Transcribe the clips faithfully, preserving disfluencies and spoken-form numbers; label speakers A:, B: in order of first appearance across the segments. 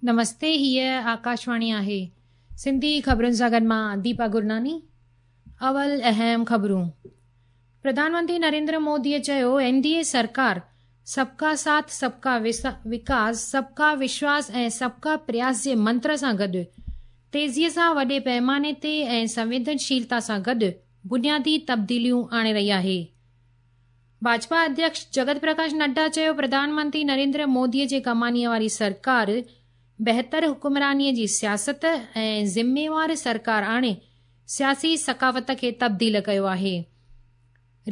A: نمستي، هيء آڪاشواڻي آهي. سنڌي خبرن سان گڏ مان ديپا گرناني. اول اهم خبرون. پرڌان منتري نريندر موديء چيو، اين ڊي اي سرڪار سبڪا ساٿ، سبڪا وڪاس، سبڪا وشواس ۽ سبڪا پرياس جي منتر سان گڏ تيزيء سان وڏي پيماني تي ۽ سنويدنشيلتا سان گڏ بنيادي تبديليون آڻي رهي آهي. ڀاجپا اڌيڪش جگت پرڪاش نڊا چيو، پرڌان منتري نريندر موديء جي ڪمانيء واري سرڪار بهتر حڪمرانيء جي سياست ۽ ذميوار سرڪار آڻي سياسي ثقافت کي تبديل ڪيو آهي.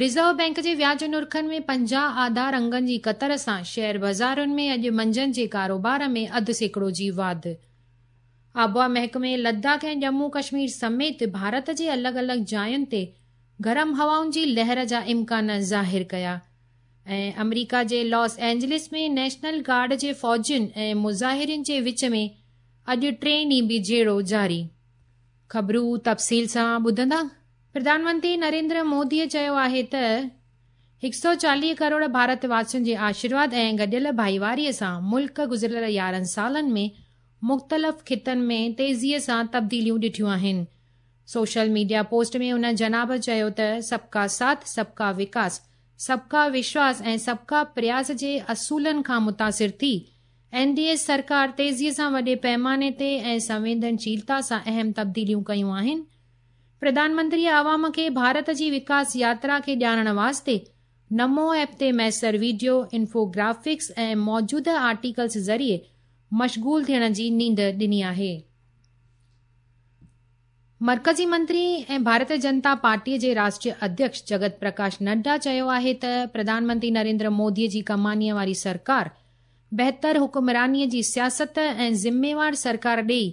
A: رزرو بئنڪ جي وياج نرخن ۾ پنجاهه آڌار انگن جي ڪتر سان شيئر بازارن ۾ اڄ منجهند جي ڪاروبار ۾ اڌ سيڪڙو جي واڌ. آبهوا محڪمي لداخ ۽ ڄمون ڪشمير سميت ڀارت جي الڳ الڳ جاين تي گرم هوائن جي لهر جا امڪان ظاهر ڪيا. ۽ آمريڪا جي لاس اينجلس ۾ نيشنل گارڊ جي فوجين ۽ مظاهرين جي وچ ۾ اڄ ٽئين ڏينهن به جهيڙو جاري. خبرون تفصيل سان ٻڌندا. پرڌان منتري نريندر موديء چيو آهي ته هڪ سؤ چاليهه ڪروڙ ڀارت واسين جي آشيرواد ۽ گڏيل ڀائيواريء سان ملڪ گذريل يارهن سالن ۾ مختلف خطن ۾ تيزيء سان تبديليون ڏٺيون آهن. سوشل ميڊيا پوسٽ ۾ ان جناب چيو ته سبڪا ساٿ، سبڪا وڪاس، سبڪا وشواس ۽ سبڪا پرياس جي اصولن کان متاثر ٿي اين ڊي اي سرڪار تيزيء سان وڏي پيماني تي ۽ سنويدنشيلتا سان اهم تبديليون ڪيون آهن. پرڌان منتري عوام کي ڀارت جي وڪاس ياترا کي ڄاڻڻ واسطي نمو ايپ تي ميسر وڊيو، انفوگرافڪس ۽ موجوده آرٽيڪلز ذريعي مشغول ٿيڻ جي نينڍ ڏني آهي. مرڪزي منتري ۽ ڀارتيه جنتا پارٽيء جي راشٽريه اڌيڪش جگت پرڪاش نڊا چيو آهي ته پرڌان منتري نريندر موديء جي ڪمانيء واري سرڪار بهتر حڪمرانيء جي سياست ۽ ذميوار سرڪار ڏيئي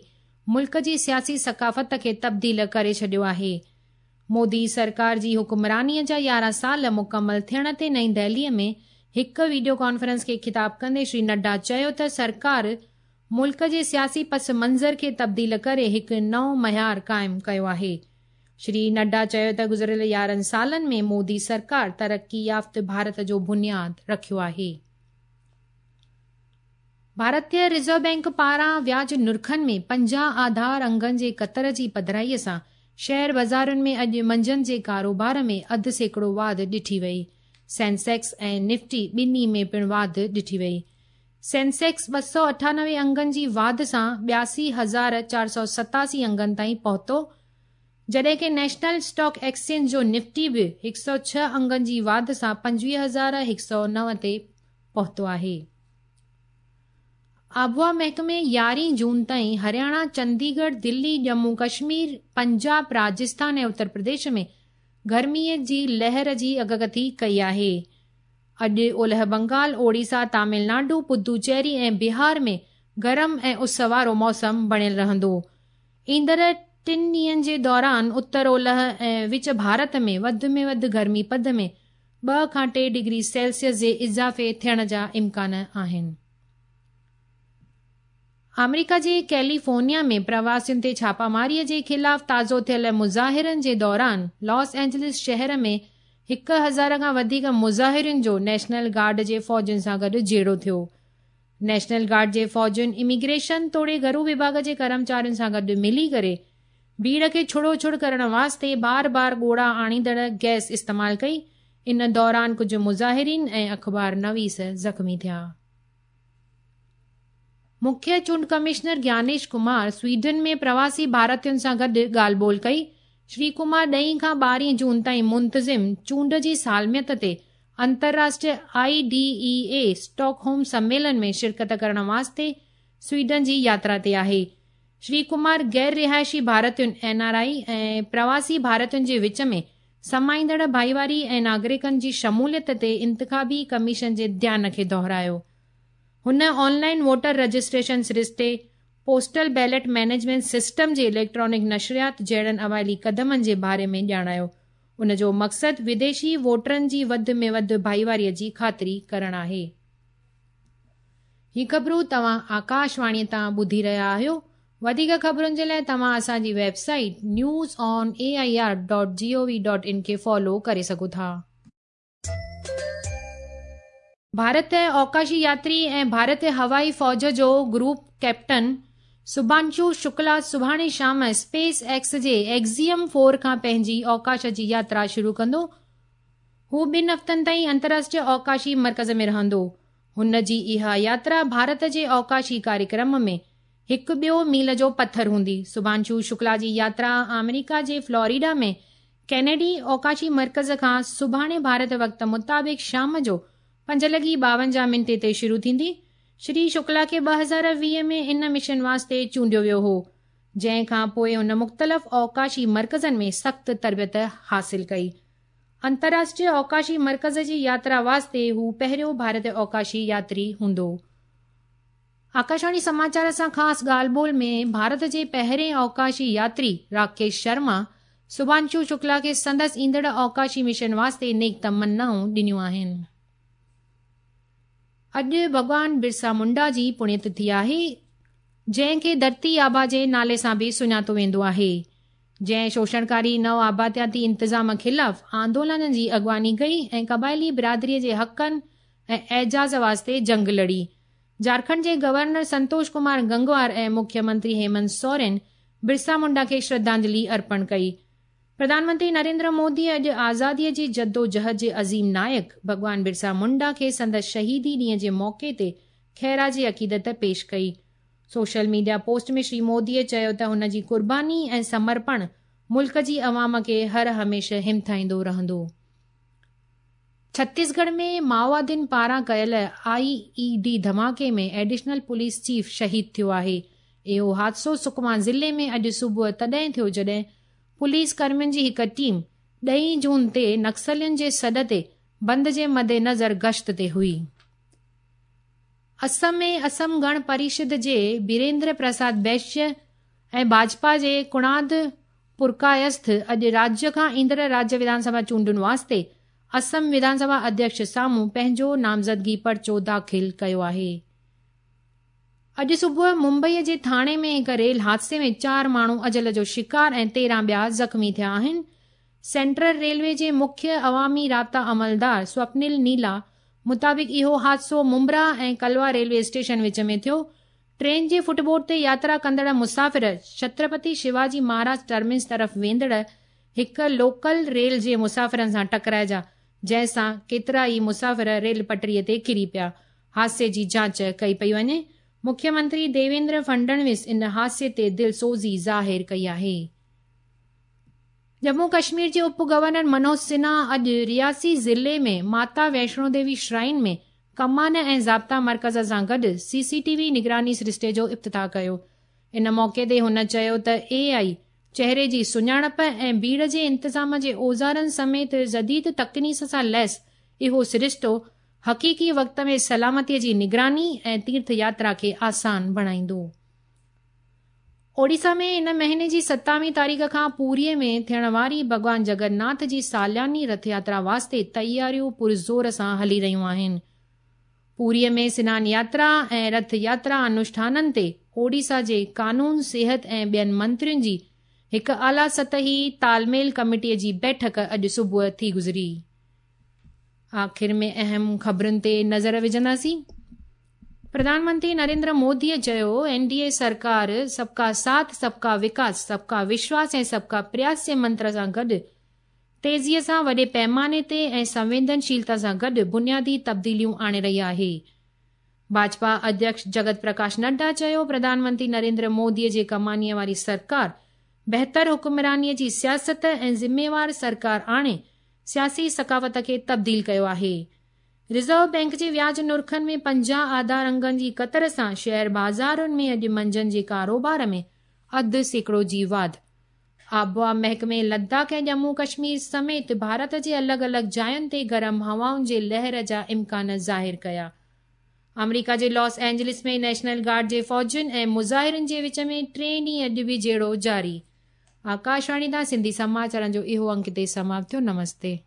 A: ملڪ جي سياسي ثقافت کي تبديل ڪري ڇڏيو آهي. مودي سرڪار جي حڪمرانيء جا يارهن سال مڪمل ٿيڻ تي نئين دهليء ۾ هڪ وڊيو ڪانفرنس کي خطاب ڪندي شري نڊا چيو ته سرڪار ملڪ جي سياسي پس منظر کي تبديل ڪري هڪ نئون معيار قائم ڪيو آهي. شري نڊا چيو ته گذريل يارهن سالن ۾ مودي سرڪار ترقي يافته ڀارت جو بنياد رکيو آهي. ڀارتيه رزرو بئنڪ پاران وياج نرخن ۾ پنجاهه آڌار انگن جي ڪتر جي پڌرائيء سان شيئر بازارن ۾ اڄ منجهند جي ڪاروبار ۾ اڌ سيڪڙو واڌ ڏٺي وئي. سينسيڪس ۽ نفٽي ٻنهي ۾ پڻ واڌ ڏٺي وئي. سينسيڪس ٻه سؤ اٺانوي انگن جي واڌ سان ٻياسي هزار چار سؤ ستاسي انگن تائين پهتو، جڏهن ڪه نيشنل اسٽاڪ ايڪسچينج جو نفٽي به هڪ سؤ ڇهه انگن جي واڌ سان پنجويهه هزار هڪ سؤ نو تي پهتو آهي. آبهوا محڪمي يارهين جون تائين هرياڻا، چنديڳڙهه، دلي، ڄمون ڪشمير، پنجاب، راجسٿان ۽ اتر پرديش ۾ گرميء جي لهر جي اڳڪٿي ڪئي آهي. اڄ اولهه بنگال، اوڙيسا، تامل ناڊو، پدوچيري ۽ بهار ۾ گرم ۽ اس وارو موسم بڻيل رهندو. ايندڙ ٽن ڏينهن جي دوران اتر اولهه ۽ وچ ڀارت ۾ وڌ ۾ وڌ گرمي پد ۾ ٻه کان ٽي ڊگري سيلسيس جي اضافي ٿيڻ جا امڪان آهن. آمريڪا جي ڪيليفورنيا ۾ پرواسين تي ڇاپاماريء جي خلاف تازو ٿيل مظاهرن جي دوران لاس اينجلس شهر ۾ هڪ هزار کان وڌيڪ مظاهرين جو نيشنل گارڊ جي فوجين سان گڏ جهيڙو ٿيو. نيشنل گارڊ جي فوجين اميگريشن توڙي گهرو وڀاڳ جي ڪرمچارين سان گڏ ملي ڪري ڀيڙ کي ڇڙوڇڙ ڪرڻ واسطي بار بار ڳوڙها آڻيندڙ گئس استعمال ڪئي. ان دوران ڪجهه مظاهرين ۽ اخبار نويس زخمي ٿيا. مکيه چونڊ ڪمشنر گيانيش ڪمار سوئيڊن ۾ پرواسي ڀارتين سان گڏ ڳالهه ٻولهه ڪئي. شري ڪمار ڏهين کان ٻارهين جون تائين منتظم چونڊ جي سالميت تي انترراشٽريه I D E A Stockholm سميلن ۾ شرڪت ڪرڻ واسطي سوئيڊن جي ياترا تي آهي. شري ڪمار غير رهائشي ڀارتين اين آر I ۽ پرواسي ڀارتين جي وچ ۾ سمائيندڙ ڀائيواري ۽ ناگرڪن جي شموليت تي انتخابي ڪميشن جي ڌيان کي دهرايو. هن آن لائن ووٽر رجسٽريشن سرشتي، پوسٽل بيلٽ مئنيجمينٽ سسٽم جي اليڪٽرانڪ نشريات جهڙن اوائلي قدمن جي باري ۾ ڄاڻايو. ان جو مقصد وديشي ووٽرن جي وڌ ۾ وڌ ڀائيواريء جي خاطري ڪرڻ آهي. هي خبرون توهان آڪاشواڻيء تان ٻڌي رهيا آهيو. وڌيڪ خبرن جي لاءِ توهان اسان جي website news on A I R dot G O V dot in کي فالو ڪري سگهو ٿا. ڀارت اوڪاشي ياتري ۽ ڀارتيه هوائي فوج جو گروپ ڪيپٽن شڀانشو شڪلا سڀاڻي شام اسپيس ايڪس جي ايگزيم فور کان پنهنجي اوڪاش جي ياترا شروع ڪندو. هو ٻن هفتن تائين انترراشٽريه اوڪاشي مرڪز ۾ رهندو. هن جي اها ياترا ڀارت جي اوڪاشي ڪاريڪرم ۾ هڪ ٻيو ميل جو پٿر هوندي. شڀانشو شڪلا جي ياترا آمريڪا جي فلوريڊا ۾ ڪينيڊي اوڪاشي مرڪز کان سڀاڻي ڀارت وقت مطابق شام جو پنج لڳي ٻاونجاهه منٽي تي شروع ٿيندي. شري شڪلا کي ٻه هزار ويهه ۾ ان مشن واسطي چونڊيو ويو هو، جنهن کان پوءِ هن مختلف اوڪاشي مرڪزن ۾ سخت تربيت حاصل ڪئي. انترراشٽريه اوڪاشي مرڪز جي ياترا واسطي هو پهريون ڀارتي اوڪاشي ياتري هوندو. آڪاشواڻي سماچار سان خاص ڳالهه ٻولهه ۾ ڀارت جي پهرين اوڪاشي ياتري راڪيش شرما شڀانشو شڪلا کي سندس ايندڙ اوڪاشي مشن واسطي نيڪ تمنائون ڏنيون آهن. اڄ ڀڳوان برسا منڊا جي پڻيه تٿي آهي، جنهن کي ڌرتي آبا جي نالي سان به سڃاتو ويندو آهي، جنهن شوشڻڪاري نو آبادياتي انتظام خلاف آندولن جي اڳواڻي ڪئي ۽ قبائلي برادري جي حقن ۽ اعزاز واسطي جنگ لڙي. جهارکنڊ جي گورنر سنتوش ڪمار گنگوار ۽ مکيه منتري هيمنت سورين برسا منڊا کي شرڌانجلي ارپڻ ڪئي. پرڌان منتري نريندر مودي اڄ آزاديءَ جي جدوجهد جي عظيم نائڪ ڀڳوان برسا منڊا کي سندس شهيدي ڏينهن جي موقعي تي خراج عقيدت پيش ڪئي. سوشل ميڊيا پوسٽ ۾ شري موديءَ چيو ته هن جي قرباني ۽ سمرپڻ ملڪ جي عوام کي هر هميشه همٿائيندو رهندو. ڇتيسڳڙهه ۾ مائووادين پاران ڪيل I اي ڊي ڌماڪي ۾ ايڊيشنل پوليس چيف شهيد ٿيو آهي. اهو حادثو سڪما ضلعي ۾ اڄ صبح تڏهن ٿيو جڏهن پوليس ڪرمين جي هڪ ٽيم ڏهين جون تي نڪسلين جي سڏ تي بند جي مدنظر گشت تي هئي. اسم ۾ اسم گڻ پريشد جي بيريندر پرساد بيشيه ۽ ڀاجپا جي ڪڻاد پرڪايسٿ اڄ راجيه کان ايندڙ راجيه وڌان سڀا چونڊن واسطي اسم وڌان سڀا اڌيڪش سامهون پنهنجو نامزدگي پرچو داخل ڪيو آهي. اڄ صبح ممبئيءَ جي ٿاڻي ۾ هڪ ريل حادثي ۾ چار ماڻهو اجل جو شڪار ۽ تيرهن ٻيا زخمي ٿيا آهن. سينٽرل ريلوي جي مکيه عوامي رابطا عملدار سوپنل نيلا مطابق اهو حادثو ممبرا ۽ ڪلوا ريلوي اسٽيشن وچ ۾ ٿيو. ٽرين جي فٽبورڊ تي ياترا ڪندڙ مسافر ڇترپتي شيواجي مهاراج ٽرمينس طرف ويندڙ هڪ لوڪل ريل جي مسافرن سان ٽڪرائجا، جنهن سان ڪيترا ئي مسافر ريل پٽڙيءَ تي ڪري پيا. حادثي جي جاچ ڪئي پئي وڃي. مکيه منتري ديويندر فڊنويس ان حادثي تي دلسوزي ظاهر ڪئي آهي. ڄمون ڪشمير جي اپ گورنر منوج سنها اڄ رياسي ضلعي ۾ ماتا ويشنو ديوي شرائن ۾ ڪمان ۽ ضابطا مرڪز سان گڏ سي سي ٽي وي نگراني سرشتي جو افتتاح ڪيو. ان موقعي تي هن چيو ته اي آئي چهري جي سڃاڻپ ۽ ڀيڙ جي انتظام جي اوزارن سميت جديد تڪنيڪ سان ليس اهو سرشتو حقيقي وقت ۾ سلامتيءَ جي نگراني ۽ تيرٿ ياترا کي آسان بڻائيندو. اوڙيسا ۾ ان مهيني جي ستاويهه تاريخ کان پوريءَ ۾ ٿيڻ واري ڀڳوان جگناٿ جي سالياني رٿ ياترا واسطي تياريون پرزور سان هلي رهيون آهن. پوريءَ ۾ سنان ياترا ۽ رٿ ياترا انوشٺانن تي اوڙيسا جي قانون، صحت ۽ ٻين منترين جي هڪ اعليٰ سطحي تالميل ڪميٽيءَ جي بيٺڪ اڄ صبح ٿي گذري. آخر ۾ اهم خبرن تي نظر وجهنداسين. پرڌان منتري نريندر موديءَ چيو اين ڊي اي سرڪار سبڪا ساٿ، سبڪا وڪاس، سبڪا وشواس ۽ سبڪا پرياس جي منتر سان گڏ تيزيءَ سان وڏي پيماني تي ۽ سنويدنشيلتا سان گڏ بنيادي تبديليون آڻي رهي آهي. ڀاجپا اڌيڪش جگت پرڪاش نڊا چيو پرڌان منتري نريندر موديءَ جي ڪمانيءَ واري سرڪار بهتر حڪمرانيءَ جي سياست ۽ ذميوار سرڪار آڻي سياسي ثقافت کي تبديل ڪيو آهي. رزرو بينڪ جي وياج نرخن ۾ پنجاهه آڌار انگن جي ڪتر سان شيئر بازارن ۾ اڄ منجهند جي ڪاروبار ۾ اڌ سيڪڙو جي واڌ. آبهوا محڪمي لداخ ۽ ڄمون ڪشمير سميت ڀارت جي الڳ الڳ جاين تي گرم هوائن جي لهر جا امڪان ظاهر ڪيا. آمريڪا جي لاس اينجلس ۾ نيشنل گارڊ جي فوجين ۽ مظاهرن جي وچ ۾ ٽي ڏينهن اڄ به جهيڙو جاري. آڪاشواڻي تان سنڌي سماچارن جو اهو انڪ هتي سماپت ٿيو. نمستي.